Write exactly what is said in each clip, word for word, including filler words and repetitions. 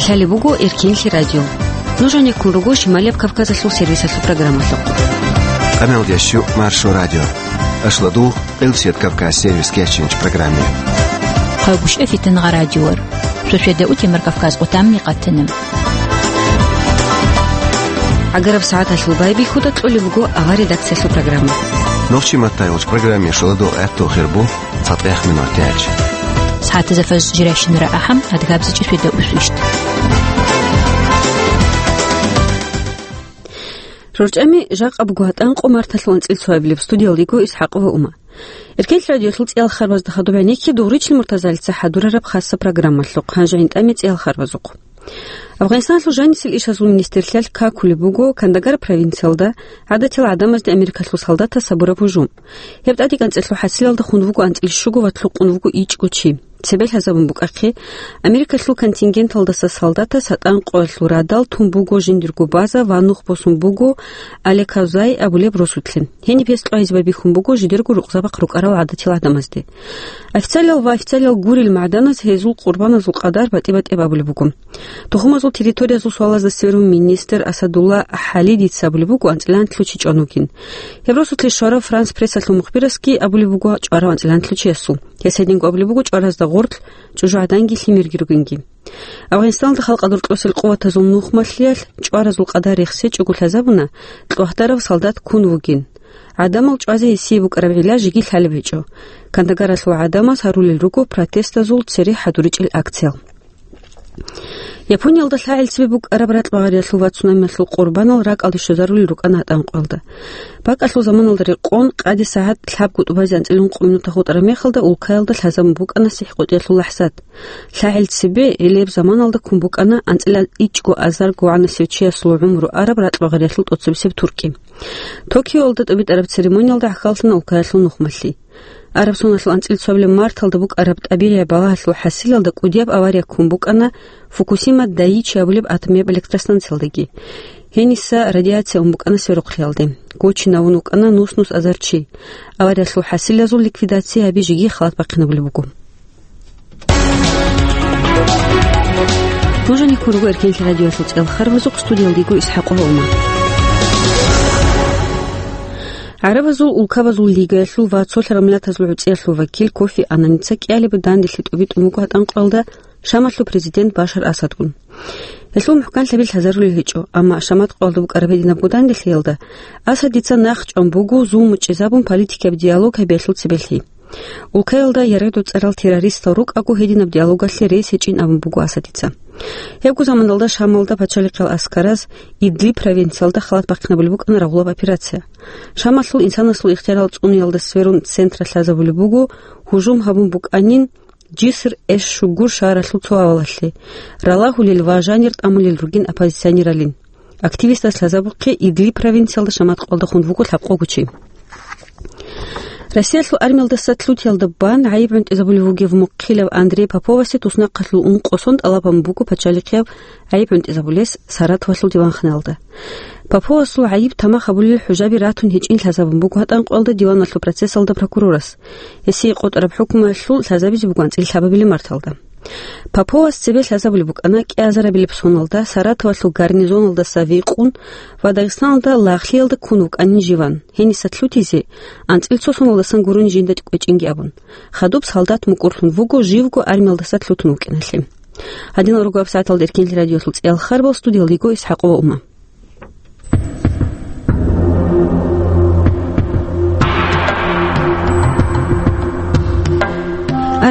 Лъалеб буго Эркенлъи радио. Нуж гьанеккун руго Шималияб Кавказалъул сервисалъул программалъухъ. Къамел ящу Маршо радио. Ашладу Къилсият Кавказ сервис кечинч программе. Хъагуш эфитан гъа радиор. Шошеда утемар Кавказ отамни къатанам. Агараб сагӀаталъул байбихьуда кьолеб буго авар редакциялъул программа. Нохчи маттайгъуч программе шаладу гӀатту хирбу. ЦатӀех минутач. СагӀатазда фаз жирайщинара ахӀам, адгабзичӀи феда усвищт. РорчӀами жакъа буго гьатӀан къо марталъул анцӀил цоабилеб студиялдего Исхьакъова Ума. Эркенлъи радиолъул цӀиял харбазда хадуб гӀенекке Дугъричил Муртазалица хӀадурараб хасса программалъухъ, гьанже гӀинтӀаме цӀиял харбазухъ. Афганистаналъул жанисел ишазул министрлъиялъ какулеб буго Кандагар провинциялда гӀадатил гӀадамазде Америкалъул солдатас гьабураб гьужум. Гьеб тӀадекӀанцӀелъул хӀасилалда хун вуго анцӀил щуго ва лъукъун вуго ичӀго чи. Цебе лъазабун букӀахъе, Америкалъул контингенталдаса солдатас гьатӀан къоялъул радал тун буго жиндирго база ва нух босун буго Алекавзай абулеб росулъе. Гьениб гьес кьвагьизаб бихьун буго жидерго рукъзабахъ рукӀарал гӀадатил гӀадамазде. Официалиял ва официалиял гурел магӀданаз гьезул къурбаназул къадар батӀи-батӀияб абулеб буго. Тухумазул территориязул суалазда сверун министр Асадулла Халидица абулеб буго анцӀиланлъи чи чӀван вугин. Гьеб росулъе щварав Франс прессалъул мухбирасги абулеб буго чӀварав анцӀиланлъи чиясул. Гьес гьединго абулеб буго чӀваразда гъорлъ, чӀужугӀаданги лъимерги ругинги. Афганистаналда халкъалда рукьусел къуватазул нухмалъиялъ чӀваразул къадар рехсечӀого лъазабуна, кьвагьдарав солдат ккун вугин. ГӀадамал чӀвазе гьесие букӀараб гӀилла жеги лъалеб гьечӀо. Кандагаралъул гӀадамаз гьарулел руго протестазул цере хӀадуричӀел акциял. Япониялда лъагӀел цебе букӀараб ракьбагъариялъул ва цунамиялъул къурбанал ракӀалде щвезарулел рукӀана гьатӀан къоялда. БакӀалъул заманалда рекъон, къаде сагӀат лъабго тӀубазе анцӀила ункъо минута хутӀараб мехалда, улкаялда лъазабун букӀана сихӀкъотӀиялъул лахӀзат. ЛъагӀел цебе гьелеб заманалда ккун букӀана анцӀила ичӀго азарго вагӀанасев чиясул гӀумру араб ракьбагъариялъул тӀоцебесеб туркӀи. Токиоялда тӀубитӀараб церемониялда гӀахьаллъана улкаялъул нухмалъи. Араб соналъул анцӀила цоабилеб марталда букӀараб тӀабигӀияб балагьалъул хӀасилалда кӀудияб авария ккун букӀана Фукусима Дайичи абулеб атомияб электростанциялдаги. Гьениса радиация ун букӀана сверухълъиялде. Гочинавун вукӀана нус-нус азар чи. Авариялъул хӀасилазул ликвидация гьаби жеги халат бахъинабулеб буго. Нуж гьанеккун руго Эркенлъи радиоялъул цӀиял харбазухъ, студиялдего Исхьакъова Ума. ГӀарабазул улкабазул лигаялъул ва цолъарал миллатазул гӀуцӀиялъул вакил Кофи Аннаница кӀиялеб данделъи тӀубитӀун буго гьатӀан къоялда Шамалъул президент Башар Асадгун. Гьелъул мухӀканлъаби лъазарулел гьечӀо, амма Шамат къоялда букӀараб гьединабго данделъиялда Асадица нахъ чӀван буго зулму чӀезабун политикияб диалог гьабиялъул цебелъи. Улкаялда яргъи-доцӀарал террористал рукӀаго гьединаб диалогалъе рес гьечӀин абун буго Асадица. Гьебго заманалда Шамалда пачалихъал аскараз Идлиб провинциялда халат бахъинабулеб букӀана рагъулаб операция. Шамалъул инсанасул ихтиярал цӀуниялда сверун центра лъазабулеб буго гьужум гьабун букӀанин Жиср эш-щугур шагьаралъул цо авалалъе, ралагьулел ва жанир тӀамулел ругин оппозиционералин. Активистас лъазабухъе Идлиб провинциялда Шамат къоялда хун вуго лъабкъого чи. Россиялъул армиялдаса лъутиялда бан гӀайиб гӀунтӀизабулев вугев мухъилав Андрей Поповасе туснахъалъул ункъо сон тӀалаб гьабун буго пачалихъияб гӀайиб гӀунтӀизабулес Саратовалъул диванханалда. Поповасул гӀайиб тамах гьабулел хӀужаби ратун гьечӀин лъазабун буго гьатӀан къоялда диваналъул процессалда прокурорас. Гьесие къотӀараб хӀукмуялъул лъазабизе буго анцӀила лъабабилеб марталда. Поповас цебе лъазабулеб букӀана кӀиазарабилеб соналда Саратовалъул гарнизоналдаса викъун ва Дагъистаналда лагълъиялда ккун вукӀанин живан, гьениса лъутизе, анцӀила цо соналдасан гурони жинда кӀвечӀинги абун. Хадуб солдат мукӀурлъун вуго живго армиялдаса лъутун вукӀиналъе. Гьадинал руго абсагӀаталда Эркенлъи радиолъул цӀиял харбал, студиялдего Исхьакъова Ума.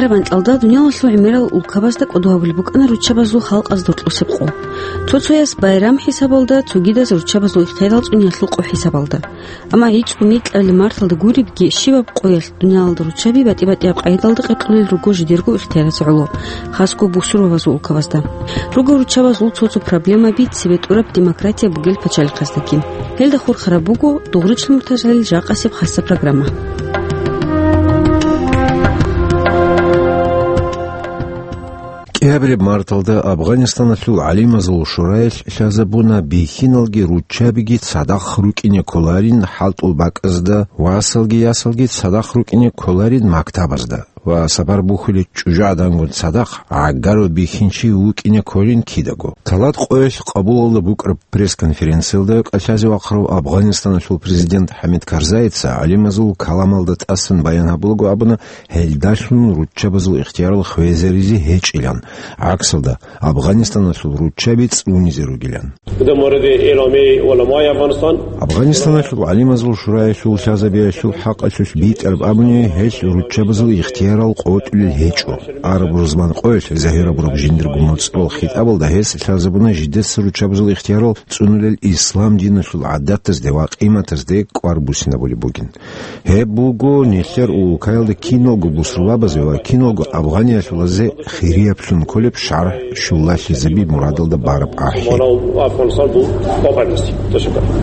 Араб анкьалда дуниялалъул гӀемерал улкабазда кӀодо гьабулеб букӀана руччабазул халкъазда рокьусеб къо. Цо-цояс байрам хӀисабалда, цогидаз руччабазул ихтиярал цӀуниялъул къо хӀисабалда. Амма гӀицӀго микьабилеб марталда гуребги, щибаб къоялъ дуниялалда руччаби батӀи-батӀияб къайдалда къеркьулел руго жидерго ихтияразе гӀоло, хасго бусурбабазул улкабазда. Руго руччабазул цо-цо проблемаби цебетӀураб демократия бугел пачалихъаздаги. Гьелда хурхараб буго Дугъричил Муртазалил жакъасеб хасса программа. КӀиабилеб марталда Афганистаналъул гӀалимазул шураялъ лъазабуна бихьиналги руччабиги цадахъ рукӀине кколарин хӀалтӀул бакӀазда, васалги ясалги цадахъ рукӀине кколарин мактабазда. ва сапар бухьулел чӀужугӀадангун цадахъ гӀагарав бихьинчи вукӀине кколин кидаго. Талат къоялъ Къабулалда букӀараб пресс-конференциялда кӀалъазе вахъарав Афганистаналъул президент ХӀамид Карзаица гӀалимазул каламалда тӀасан баян гьабулаго абуна, гьелдалъун руччабазул ихтиярал хвезаризе гьечӀилан. ГӀаксалда, Афганистаналъул руччаби цӀунизе ругилан. Афганистаналъул гӀалимазул шураялъул лъазабиялъул хӀакъалъулъ битӀараб абуни, гьел руччабазул ихтиярал къотӀулел гьечӀо. Араб рузман къоялъ загьир гьабураб жиндирго моцӀрол хитӀабалда гьес лъазабуна жидеца руччабазул ихтиярал цӀунулел ислам диналъул гӀадатазде ва къиматазде кӀвар буссинабулеб бугин. Гьеб буго нилъер улкаялда киналго бусурбабазе ва киналго афганиялъулазе хирияблъун кколеб шаргӀ щулалъизаби мурадалда бараб ахӀи.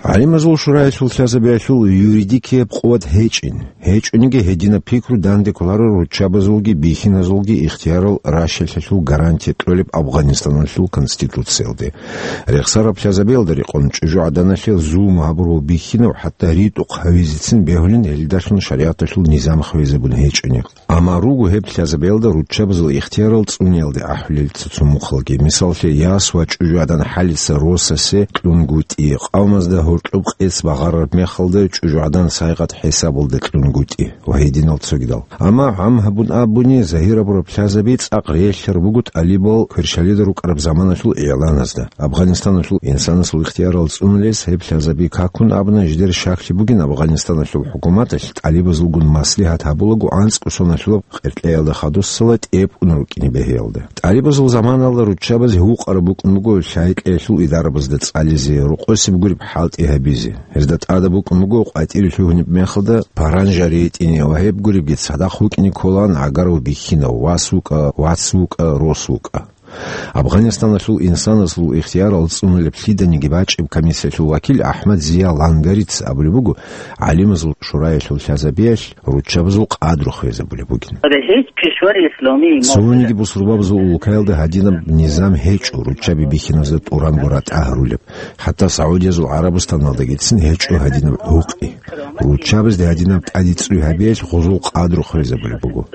ГӀалимазул шураялъул лъазабиялъул юридикияб къуват гьечӀин, гьечӀониги гьединаб пикру данде кколаро руччабазулги бихьиназулги ихтиярал ращалъалъул гарантия кьолеб Афганистаналъул Конституциялде. Рехсараб лъазабиялда рекъон чӀужугӀаданалъе зулму гьабурав бихьинав хӀатта ритӀухъ гьавизецин бегьулин гьелдалъун шаригӀаталъул низам хвезабун гьечӀони. Амма руго гьеб лъазабиялда руччабазул ихтиярал цӀуниялде ахӀулел цо-цо мухъалги. Мисаллъе, яс ва чӀужугӀадан хӀалица росасе кьунгутӀи, къавмазда гьоркьоб къец багъарараб мехалда чӀужугӀадан сайгъат хӀисабалда кьунгутӀи ва гьединал цогидал. Амма гӀам гьабун абуни, загьир гьабураб лъазаби цӀакъ релълъараб буго тӀалибал кверщалида рукӀараб заманалъул игӀланазда. Афганистаналъул инсанасул ихтиярал цӀунулес гьеб лъазаби какун абуна жидер щаклъи бугин Афганистаналъул хӀукуматалъ тӀалибазулгун маслигьат гьабулаго анцӀго соналъулаб къеркьеялда хадусала тӀепӀун рукӀине бегьиялда. ТӀалибазул заманалда руччабазе гьукъараб букӀун буго лъай-кьеялъул идарабазда цӀализе, рокъосеб гуреб хӀалтӀи гьабизе. Гьезда тӀадаб букӀун буго къватӀире лъугьунеб мехалда паранжа ретӀине ва гьеб гуребги цадахъ вукӀине кколаан гӀагарав бихьинав, вас вукӀа, вац вукӀа, рос вукӀа. Афганистаналъул инсанасул ихтиярал цӀунулеб лъиданиги бачӀеб комиссиялъул вакил АхӀмад Зия Лангарица абулеб буго, гӀалимазул шураялъул лъазабиялъ руччабазул къадру хвезабулеб бугин. Цониги бусурбабазул улкаялда гьадинаб низам гьечӀо, руччаби бихьиназда тӀуранго ратӀа гьарулеб. ХӀатта Саудиязул ГӀарабустаналдагицин гьечӀо гьадинаб гӀукъи. Руччабазде гьадинаб тӀадицӀуй гьабиялъ гъузул къадру хвезабулеб буго.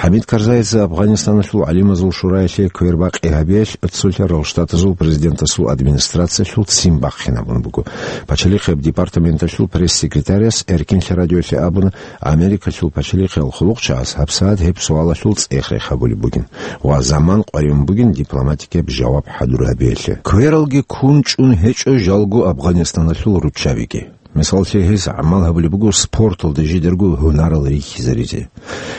ХӀамид Карзаица Афганистаналъул гӀалимазул шураялъе квербакъи гьабиялъ Цолъарал Штатазул президентасул администрациялъул ццин бахъинабун буго. Пачалихъияб департаменталъул пресс-секретаряс Эркинлъи радиолъе абуна, Америкалъул пачалихъиял хъулухъчагӀаз гьабсагӀат гьеб суалалъул цӀех рехъ гьабулеб бугин ва заман къваригӀун бугин дипломатикияб жаваб хӀадур гьабиялъе. Квералги ккун чӀун гьечӀо жалго Афганистаналъул руччабиги. Мисаллъи, гьез гӀамал гьабулеб буго спорталда жидерго гьунарал рихьизаризе.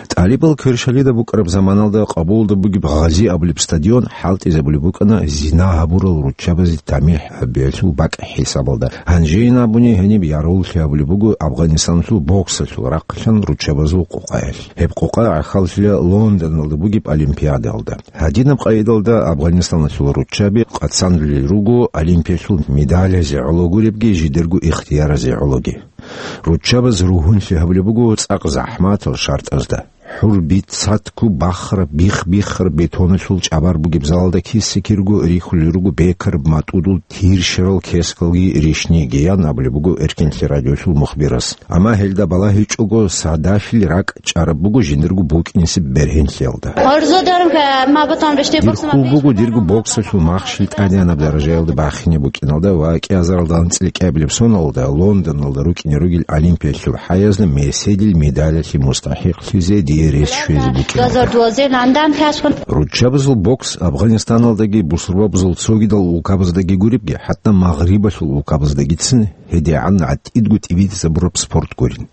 ТӀалибал кверщалида букӀараб заманалда Къабулалда бугеб Гъази абулеб стадион хӀалтӀизабулеб букӀана зина гьабурал руччабазе тамихӀ гьабиялъул бакӀ хӀисабалда. Гьанжейин абуни гьениб яргъуллъи гьабулеб буго Афганистаналъул боксалъул рахъалъан руччабазул къукъаялъ. Гьеб къукъа гӀахьаллъила Лондоналда бугеб Олимпиадалда. Гьадинаб къайдалда Афганистаналъул руччаби къацанулел руго Олимпиялъул медалазе гӀоло гуребги жидерго ихтияразе гӀологи. Руччабаз ругьунлъи гьабулеб буго цӀакъ захӀматал шартӀазда. ХӀурби, цатку, бахра, бих-биххар бетоналъул чӀабар бугеб залалда киса-кирго рихьулел руго бекараб матӀудул тиршерал кескалги ришниги, ян абулеб буго Эркинлъи радиолъул мухбирас. Амма гьелда балагьичӀого, садафил ракӀ чӀараб буго жиндирго букӀинсеб бергьенлъиялда. Дир хъул буго дирго боксалъул махщел тӀадегӀанаб даражаялда бахине букӀиналда ва кӀиазаралда анцӀила кӀиабилеб соналда Лондоналда рукӀине ругел Олимпиялъул хӀаязда меседил медалалъе мустахӀикълъизе дие рес щвезе букӀиналда. Руччабазул бокс Афганистаналдаги бусурбабазул цогидал улкабаздаги гуребги, хӀатта Магърибалъул улкабаздагицин гьедигӀан гӀатӀидго тӀибитӀизабураб спорт гурин.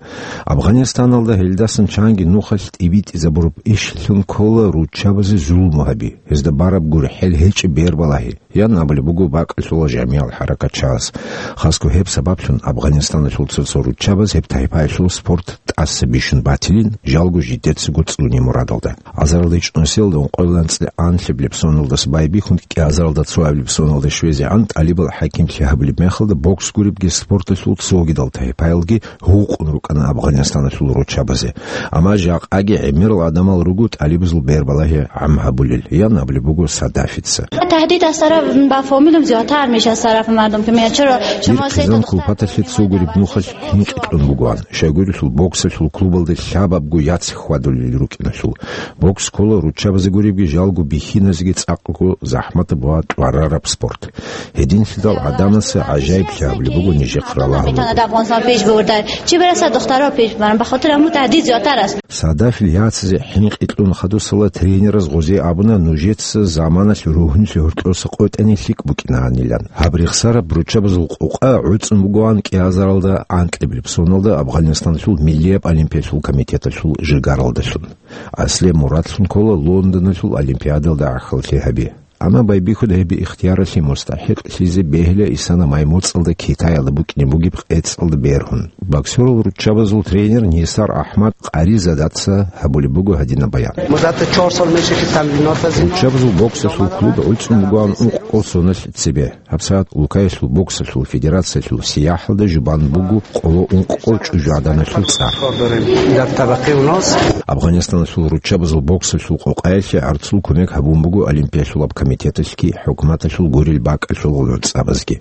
Афганистаналда гьелдасан чанги нухалъ тӀибитӀизабураб ишлъун ккола руччабазе зулму гьаби, гьезда бараб гурхӀел гьечӀеб бербалагьи, ян абулеб буго бакӀалъула жамигӀал хӀаракатчагӀаз. Хасго гьеб сабаблъун Афганистаналъул цо-цо руччабаз гьеб тайпаялъул спорт тӀаса бищун батилин, жалго жидер цӀуне мурадалда. Азаралда ичӀнусиялда ункъоялда анцӀила анлъабилеб соналдаса байбихьун кӀиазаралда цоабилеб соналда щвезегӀан тӀалибал хӀакимлъи гьабулеб мехалда бокс гуребги спорталъул цогидал тайпаялги гьукъун рукӀана Афганистаналъул руччабазе. Амма жакъаги гӀемерал гӀадамал руго тӀалибазул бербалагьи гӀам гьабулел, ян абулеб буго Садафица. تهدید از طرف، با فامیلم زیادتر می‌شه از طرف مردم که میاد: «چرا شما سه تا دختر کلپتалъе цо гуреб нухалъ хӀинкъи кьун бугоан. Щайгурелъул боксалъул клубалда лъабабго яц хьвадулел рукӀиналъул. Бокс ккола руччабазе гуребги жалго бихьиназеги цӀакъго захӀматаб ва тӀварараб спорт. Гьединлъидал гӀадамаца гӀажаиблъи гьабулеб буго нижехъ ралагьулелъул». Чи бераса духтаро пеш баран, ба хатир аму тадид зиотарас. Садафил яцизе хӀинкъи кьун хадусала тренераз гъозе абуна нужеца заманалъ ругьунлъи гьоркьоса къотӀани лъикӀ букӀинаанилан. Гьаб рехсараб руччабазул къокъа гӀуцӀун бугоан кӀиазаралда анкьабилеб соналда Афганистаналъул миллияб олимпиялъул комитеталъул жигаралдалъун. Аслияб мурадлъун ккола Лондоналъул олимпиадалда гӀахьаллъи гьаби. Амма байбихьуда гьеб ихтияралъе мустахӀикълъизе бегьила исана май моцӀалда Китаялда букӀине бугеб къецӀалда бергьун. Боксерал руччабазул тренер Нисар Ахмад Къаризадаца гьабулеб буго гьадинаб баян. مدت چهار سال می‌شه که تمرینات زیاد. Руччабазул боксалъул клуб гӀуцӀун бугоан ункъкъо соналъ цебе. ГьабсагӀат Улкаялъул боксалъул федерациялъул сияхӀалда жубан буго къоло ункъкъо чӀужугӀаданалъул цӀар. کار داریم. در طبقه اوناست. Афганистаналъул руччабазул боксалъул къокъаялъе гӀарцул кумек гьабун буго олимпиялъулаб комитеталъги хӀукуматалъул гурел бакӀалъул гӀуцӀабазги.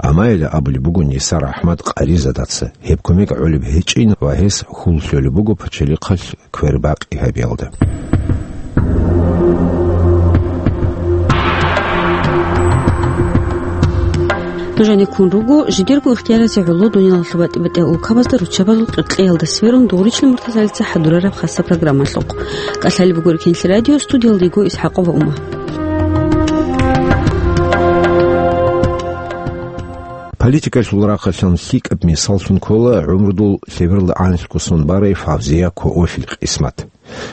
Амма гьеле абулеб буго Нисар Ахмад Къаризадаца, гьеб кумек гӀолеб гьечӀин ва гьес хьул лъолеб буго пачалихъалъ квербакъи гьабиялда. Нуж гьаниб ккун руго жидерго ихтияразе гӀоло дуниялалъул батӀи-батӀиял улкабазда руччабазул къеркьеялда сверун дугӀричӀел муртазалица хӀадурараб хасаб программалъухъ. КӀалъалеб буго Эркенлъи радио, студиялда йиго ИсхӀакъова Ума. Политикалъул рахъалъан лъикӀаб мисаллъун ккола гӀумрудул лъебералда анлъго сон барай Фавзия Коофил къисмат.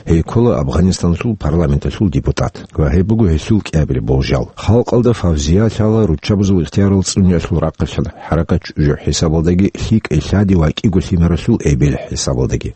Гьей ккола Афганистаналъул парламенталъул депутат ва гьеб буго гьелъул кӀиабилеб болжал. Халкъалда Фавзия лъала руччабазул ихтиярал цӀуниялъул рахъалъан хӀаракат чӀужу хӀисабалдаги, лъикӀай лъади ва кӀиго лъимералъул эбел хӀисабалдаги.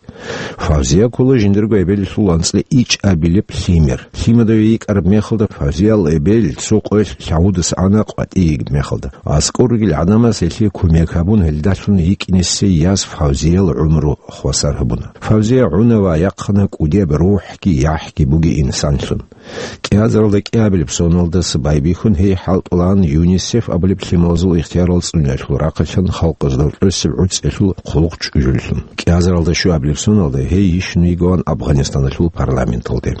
Фавзия ккола жиндирго эбелалъул анцӀила ичӀабилеб лъимер. Лъимадаве йикӀараб мехалда, Фавзиял эбел цо къоялъ лъагӀудаса ана къватӀие йигеб мехалда. АскӀор ругел гӀадамаз гьелъие кумек гьабун, гьелдалъун йикӀинесей яз Фавзиял гӀумру хвасар гьабуна. Фавзия гӀуна ва яхъана кӀудияб рухӀги яхӀги бугей инсанлъун. КӀиазаралда кӀиабилеб соналдаса байбихьун гьей хӀалтӀулаан ЮНИСЕФ абулеб лъималазул ихтиярал цӀуниялъул рахъалъан халкъазда рокьосеб гӀуцӀиялъул хъулухъ чӀужуллъун. КӀиазаралда щуабилеб соналда гьей йищун йигоан Афганистаналъул парламенталде.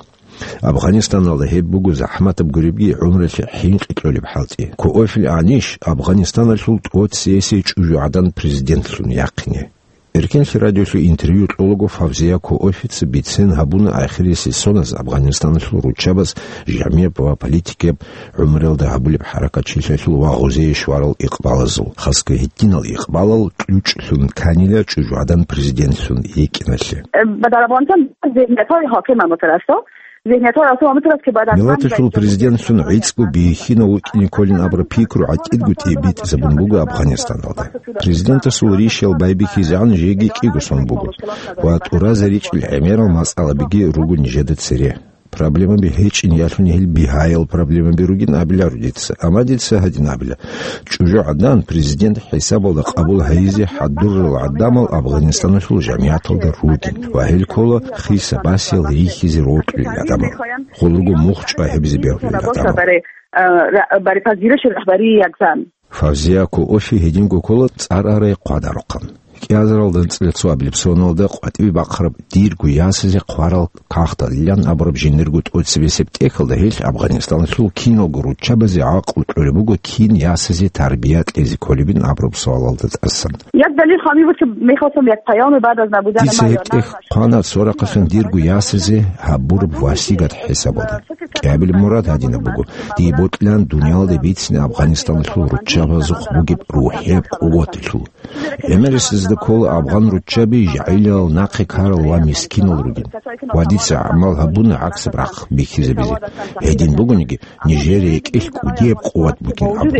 Афганистаналда гьеб буго захӀматаб гуребги гӀумралъе хӀинкъи кьолеб хӀалтӀи. Коофил анищ Афганистаналъул тӀоцесей чӀужугӀадан президентлъун яхъине. Эркенлъи радиолъе интервью кьолаго Фавзия Коофица бицен гьабуна ахирисеб соназ Афганистаналъул руччабаз жамияб ва политикияб гӀумруялда гьабулеб хӀаракатчилъиялъул ва гъозие щварал икъбалазул, хасго гьединал икъбалал кьучӀлъун кканила чӀужугӀадан президентлъун йикӀиналъе. Ба дарабонтан зигьниятҳои ҳоким амутарасо. Миллаталъул президентлъун гӀицӀго бихьинав вукӀине кколин абураб пикру гӀатӀидго тӀибитӀизабун буго Афганистаналда. Президентасул ришал байбихьизегӀан жеги кӀиго сон буго ва тӀуразе ричӀел гӀемерал масъалабиги руго нижеда цере. Проблемаби гьечӀин ялъуни гьел бигьаял проблемаби ругин абиларо дица, амма дица гьадин абила: чӀужугӀадан президент хӀисабалда къабул гьайизе хӀадурал гӀадамал Афганистаналъул жамигӀаталда ругин ва гьел ккола хиса-басиял рихьизе рокьулел гӀадамал, гъол руго мухъ чӀвай гьабизе бегьулел гӀадамал. Бари пазираш рахбари ягзан. Фавзия Коофи гьединго ккола цӀар арай хъвадарухъан. КӀиазаралда анцӀила цоабилеб соналда къватӀибе бахъараб «Дирго ясазе хъварал кагъталилан» абураб жиндирго тӀоцебесеб тӀехьалда гьелъ Афганистаналъул киналго руччабазе гӀакълу кьолеб буго кин ясазе тарбия кьезе кколебин абураб суалалда тӀасан. Як далил хами буд, ки мехостам як паёме баъд аз набудани... Дица гьеб тӀехь хъвана цо рахъалъан дирго ясазе гьабураб васигат хӀисабалда. КӀиабилеб мурад гьадинаб буго: дие бокьилаан дуниялалде бицине Афганистаналъул руччабазухъ бугеб рухӀияб къуваталъул. ГӀемерисезда ккола афгъан руччаби жагӀилал, нахъе ккарал ва мискинал ругин. Ва дица гӀамал гьабуна гӀаксаб рахъ бихьизабизе. Гьедин бугониги, нижер рекӀелъ кӀудияб къуват бугин абун.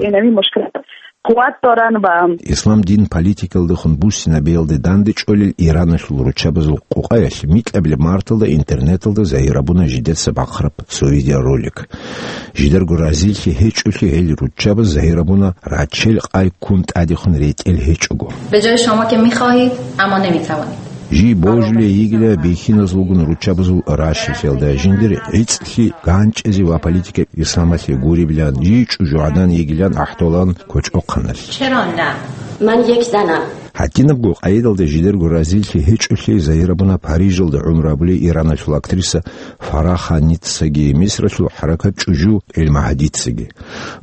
Къуват доран ва Ислам дин политикалдехун буссинабиялде дандечӀолел Ираналъул руччабазул къукъаялъ микьабилеб марталда интернеталда загьир гьабуна жидеца бахъараб цо видеоролик. Жидарго разилъи гьечӀолъи гьел руччабаз загьир гьабуна рачел къай ккун тӀадехун ретӀел гьечӀого. به جای شما که می‌خواهید، اما نمی‌توانید. Жий божулей йигила бихьиназулгун руччабазул ращалъелда, жиндир гӀицӀлъи ганчӀизе ва политикаб исламалъе гуребилан, жий чӀужугӀадан йигилан ахӀдолан кочӀохъаналъ. چرا نه؟ من یک زنم. ГьатӀинабго къайдалда жидерго разилъи гьечӀолъи загьир гьабуна Парижалда гӀумру гьабулей Ираналъул актриса Фараханица Мисралъул хӀаракат чӀужу ГӀилмагьадицаги.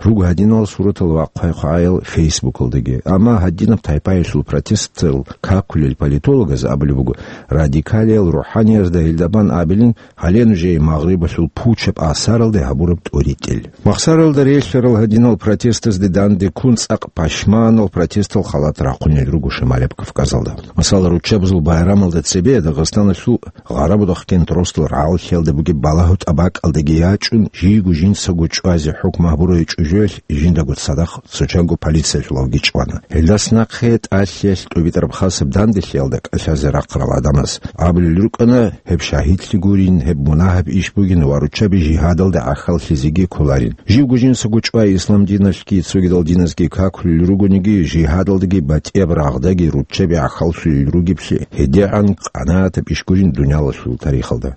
Руго гьадинал суратал ва хъвай-хъвагӀаял Фейсбукалдаги. Амма гьадинаб тайпаялъул протестал какулел политологаз абулеб буго, радикалиял рухӀаниязда гьелда бан абилин гьале нужее Магърибалъул пучаб асаралде гьабураб тӀоритӀел. Махсаралда релълъарал гьадинал протестазде данде ккун цӀакъ пашманал протестал халат рахъунел руго Шамалеб Кавказалда. Масала, руччабазул байрамалда цебе Дагъистаналъул Гъарабудахъ кентросдал рагӀаллъиялда бугеб балагьу тӀабакӀалдаги ячӀун, жийго жинцаго чӀвазе хӀукму гьабурай чӀужуялъ жиндаго цадахъ цочанго полициялъулавги чӀвана. Гьелдас нахъе тӀалъиялъ тӀубитӀараб хасаб данделъиялда кӀалъазе рахъарал гӀадамаз абулел рукӀана, гьеб шагьидлъи гурин, гьеб мунагьаб иш бугин ва руччаби жигьадалда гӀахьаллъизеги кколарин. Живго жинцаго чӀвай ислам диналъги цогидал диназги какулел ругониги, жигьадалдаги батӀияб рагъдаги руччаби гӀахьаллъулел ругеблъи гьедегӀан къанагӀатаб иш гурин дуниялалъул тарихалда.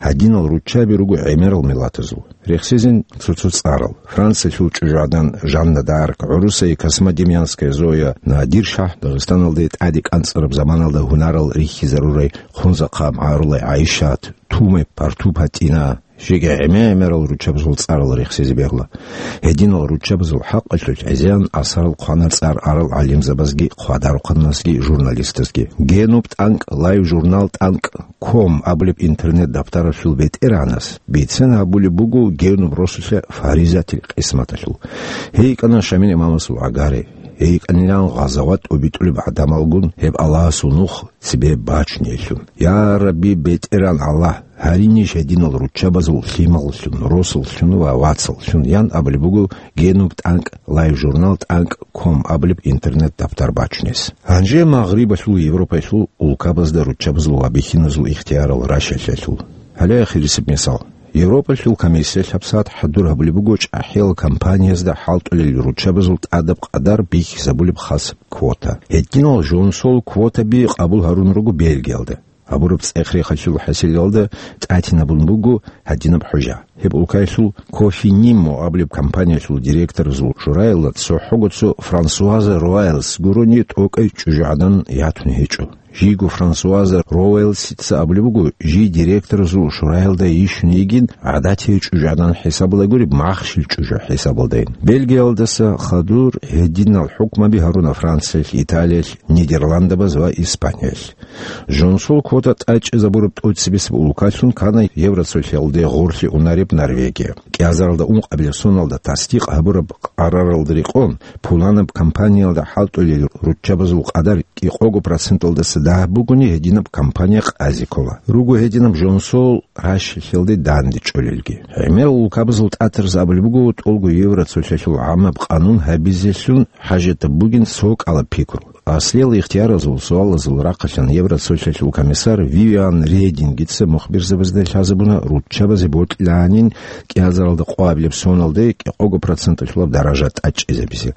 Гьадинал руччаби руго гӀемерал миллатазул. Рехсезин цо-цо цӀарал: Франциялъул чӀужугӀадан Жанна д'Арк, гӀурусай Космодемьянская Зоя, Надир-шагь, Дагъистаналде тӀаде кӀанцӀараб заманалда гьунарал рихьизарурай Хунзахъа МагӀарулай ГӀайшат, Тумай Парту ПатӀина, жеги гӀемер-гӀемерал руччабазул цӀарал рехсезе бегьула. Гьединал руччабазул хӀакъалъулъ гӀезегӀан асарал хъвана цӀар арал гӀалимзабазги, хъвадарухъаннасги, журналистазги. Генуб тӀанкӀ, лайв-журнал тӀанкӀ ком абулеб интернет-даптаралъул бетӀергьанас бицен гьабулеб буго генуб росулъа фаризатил къисматалъул. Гьей йикӀана Шамил имамасул гӀагари, гьей йикӀанилан гъазават тӀубитӀулеб гӀадамалгун гьеб Аллагьасул нух цебе бачунеллъун. Я Рабби, БетӀергьан Аллагь, гьаринищ гьединал руччабазул лъималлъун, росуллъун ва вацаллъун, ян абулеб буго генуб тӀанкӀ, лайв-журнал тӀанкӀ ком абулеб интернет-даптар бачунес. Гьанже Магърибалъул Европаялъул улкабазда руччабазул ва бихьиназул ихтиярал ращалъалъул. Гьале ахирисеб мисал. Европалъул комиссиялъ гьабсагӀат хӀадур гьабулеб буго чӀахӀиял компаниязда хӀалтӀулел руччабазул тӀадаб къадар бихьизабулеб хасаб квота. Гьединал жонсол квотаби къабул гьарун руго Бельгиялда. Гьабураб цӀех-рехалъул хӀасилалда тӀатинабун буго гьадинаб хӀужа. Гьеб улкаялъул Кофинимо абулеб компаниялъул директоразул шураялда цохӀого цо Франсуаза Роялс гурони тӀокӀай чӀужугӀадан ятун гьечӀо. Жийго Франсуаза Роялсица абулеб буго, жий директоразул шураялда йищун йигин гӀадатияй чӀужугӀадан хӀисабалда гуреб, махщел чӀужу хӀисабалдайин. Бельгиялдаса хадур гьединал хӀукмаби гьаруна Франциялъ, Италиялъ, Нидерландабаз ва Испаниялъ. Жонсул квота тӀадчӀезабураб тӀоцебесеб улкалъун ккана Евроцолъиялде гъорлъе унареб Норвегия. КӀиазаралда ункъабилеб соналда тасдикъ гьабураб къараралда рекъон, пуланаб компаниялда хӀалтӀулел руччабазул къадар кӀикъого проценталдаса дагь бугони, гьединаб компания къазе ккола. Руго гьединаб жонсул ращалъелде дандечӀолелги. ГӀемерал улкабазул тӀатараз абулеб буго, тӀолго Евроцолъиялъул гӀаммаб къанун гьабизелъун хӀажатаб бугин цо кӀалаб пикру. Аслиял ихтияразул суалазул рахъалъан Евроцолъиялъул комиссар Вивиан Редингица мухбирзабазда лъазабуна руччабазе бокьилаанин кӀиазаралда къоабилеб соналде кӀикъого проценталъулаб даража тӀадчӀезабизе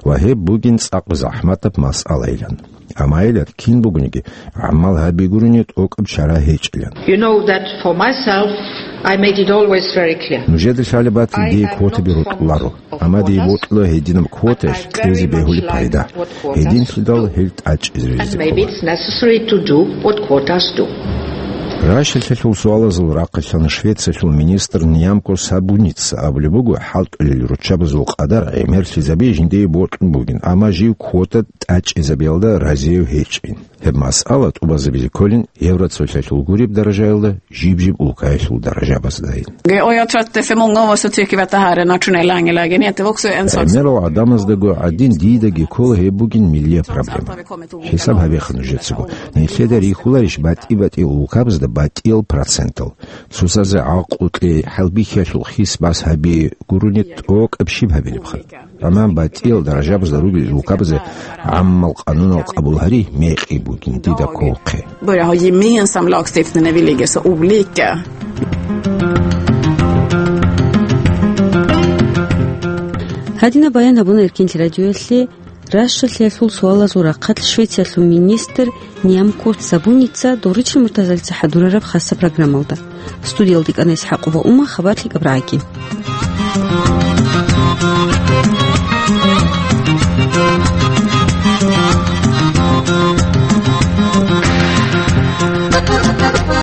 ва гьеб бугин цӀакъ захӀматаб масъалайилан. Амма гьелар кин бугониги, гӀамал гьаби гурони тӀокӀаб чара гьечӀилан. You know that for myself, I made it always very clear. Нужеда лъалеб батил, дие квотаби рокьуларо. Амма дие бокьула гьединаб квотаялъ кьезе бегьулеб пайда. Гьединлъидал гьел тӀадчӀезаризе ккола. And maybe it's necessary to do what quotas do. Ращалъалъул суалазул рахъалъан Швециялъул министр Нямко Сабуница абулеб буго, хӀалтӀулел руччабазул къадар гӀемерлъизаби жиндие бокьун бугин, амма жив квота тӀадчӀезабиялда разияв гьечӀин. Гьеб масъала тӀубазабизе кколин Евроцолъиялъул гуреб даражаялда жиб-жиб улкаялъул даражабаздайин. Och jag tror att för många av oss så tycker vi att det här är en nationell angelägenhet. Det var också en sak. ГӀемерал гӀадамаздаго гӀадин, дидаги ккола гьеб бугин миллияб проблема. ХӀисаб гьабеха нужецаго. Нилъеда рихьуларищ батӀи-батӀи улкабазда батӀиял процентал. Сусазе гӀакълукье хӀалбихьиялъул хис баз гьаби гурони тӀокӀаб щиб гьабилебха. Амма батӀиял даражабазда ругел рукабазе гӀаммал къанунал къабул гьари мекъи бугин дида кколхъе. Börja ha gemensam lagstiftning när vi ligger så olika. Гьадинаб баян гьабуна Эркинлъи радиоялъе Рашалъиялъул суалазул рахъалъ Швециялъул министр Нямкурт Сабуница Доричил Муртазалица хӀадурараб хасаб программалда. Студиялда кӀана ИсхӀакъова Ума, хабар лъикӀаб рагӀаги.